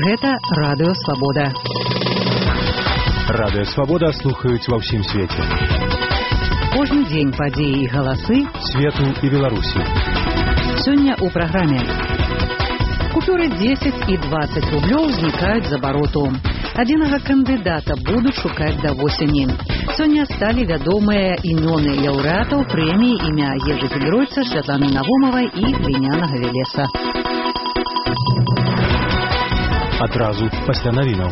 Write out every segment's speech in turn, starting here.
Гэта Радыё Свабода. Радыё Свабода слухаюць ва ўсім свеце. Кожны дзень падзеі і галасы свету і Беларусі. Сёння ў праграме. Купюры 10 і 20 рублёў знікаюць з абароту. Адзінага кандыдата будуць шукаць да восені. Сёння сталі вядомыя імёны лаўрэатаў прэміі імя Ежы Фельройца, Святланы Навумавай і Глінянага Велеса. Адразу пасля навінаў.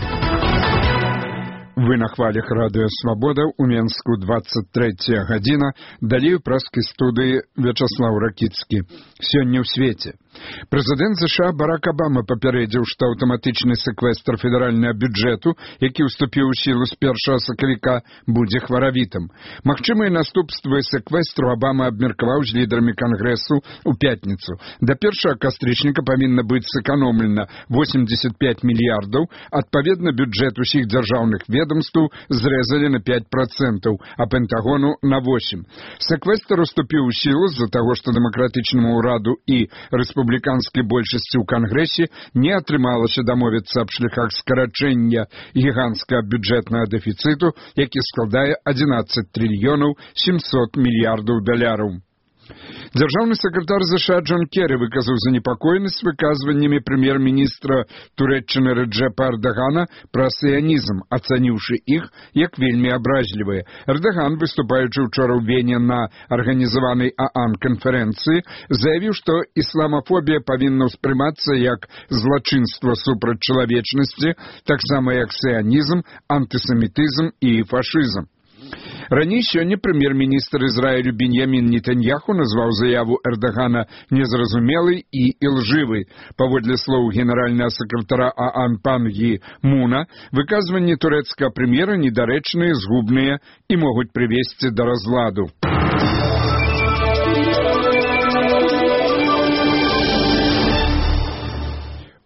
Вы на хвалях Радыё Свабода, у Менску 23 гадзіна, далей у праскай студыі Вячаслаў Ракіцкі. Сёння ў свеце. Прэзідэнт США Барак Абама папярэдзіў, што аўтаматычны сэквестр федэральнага бюджэту, які ўступіў у сілу з 1 сакавіка, будзе хваравітым. Магчымыя наступствы сэквестру Абама абмеркаваў з лідарамі Кангрэсу ў пятніцу. Да 1 кастрычніка павінна быць сэканомлена 85 мільярдаў, адпаведна бюджэт усіх дзяржаўных ведомстваў зрэзалі на 5%, а Пентагону на 8%. Сэквестр уступіў у сілу з-за таго, што дэмакратычнаму ўраду і рэспубліканскай большасці ў Кангрэсе не атрымалася дамовіцца аб шляхах скарачэння гіганцкага бюджэтнага дэфіцыту, які складае 11 трыльёнаў 700 мільярдаў даляраў. Дзяржаўны сакратар США Джон Керрі выказаў занепакоенасць выказваннямі прэм'ер-міністра Турэччыны Рэджэпа Эрдагана пра сіянізм, ацаніўшы іх як вельмі абразлівыя. Эрдаган, выступаючы учора ў Вене на арганізаванай ААН канферэнцыі, заявіў, што ісламафобія павінна ўспрымацца як злачынства супраць чалавечнасці, таксама як сіянізм, антысемітызм і фашызм. Раней сёння прэм'ер-міністр Ізраілю Беньямін Нетаньяху назваў заяву Эрдагана незразумелай і ілжывай. Паводле слоў генеральнага сакратара ААН Пан Гі Муна, выказванні турэцкага прэм'ера недарэчныя, згубныя і могуць прывесці да разладу.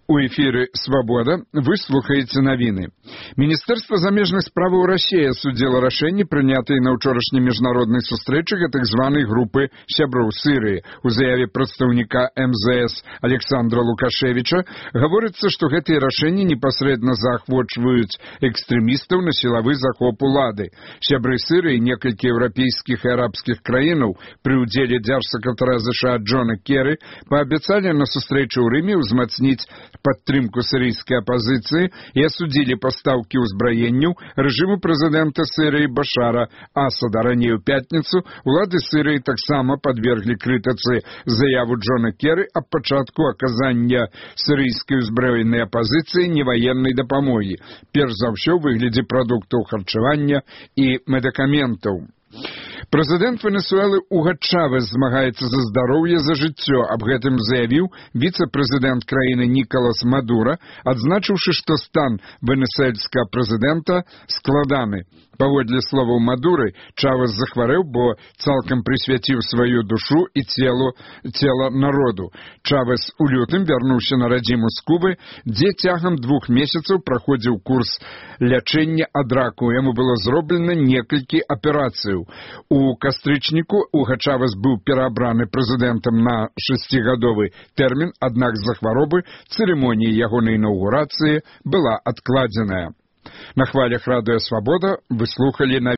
У эфіры «Свабода» вы слухаеце навіны. Міністэрства замежных справаў Расіі асудзіла рашэнне, прынятае на ўчорашняй міжнароднай сустрэчы гэтак званай групы сяброў Сірыі. У заяве прадстаўніка МЗС Александра Лукашевіча гаворыцца, што гэтыя рашэнні непасрэдна заахвочваюць экстрэмістаў на сілавы захоп улады. Сябры Сірыі, некалькі еўрапейскіх і арабскіх краінаў пры ўдзеле дзяржсакратара США Джона Керрі паабяцалі на сустрэчы ў Рыме ўзмацніць падтрымку сірыйскай апазіцыі і асудзілі пастаўкі ўзбраенняў рэжыму прэзідэнта Сірыі Башара Асада. Раней у пятніцу улады Сірыі таксама падверглі крытыцы заяву Джона Керрі аб пачатку аказання сірыйскай узброенай апазіцыі неваеннай дапамогі, перш за ўсё ў выглядзе прадуктаў харчавання і медыкаментаў. Прэзідэнт Венесуэлы Уга Чавес змагаецца за здароўе, за жыццё. Аб гэтым заявіў віцэ-прэзідэнт краіны Нікалас Мадура, адзначыўшы, што стан венесуэльскага прэзідэнта складаны. Паводле словаў Мадуры, Чавес захварэў, бо цалкам прысвяціў сваю душу і цела народу. Чавес у лютым вярнуўся на радзіму з Кубы, дзе цягам 2 месяцаў праходзіў курс лячэння ад раку. Яму было зроблена некалькі аперацыяў. У кастрычніку Уга Чавес быў пераабраны прэзідэнтам на 6-гадовы тэрмін, аднак з-за хваробы цырымонія ягонай інаўгурацыі была адкладзеная. На хвалях Радыё Свабода вы слухалі на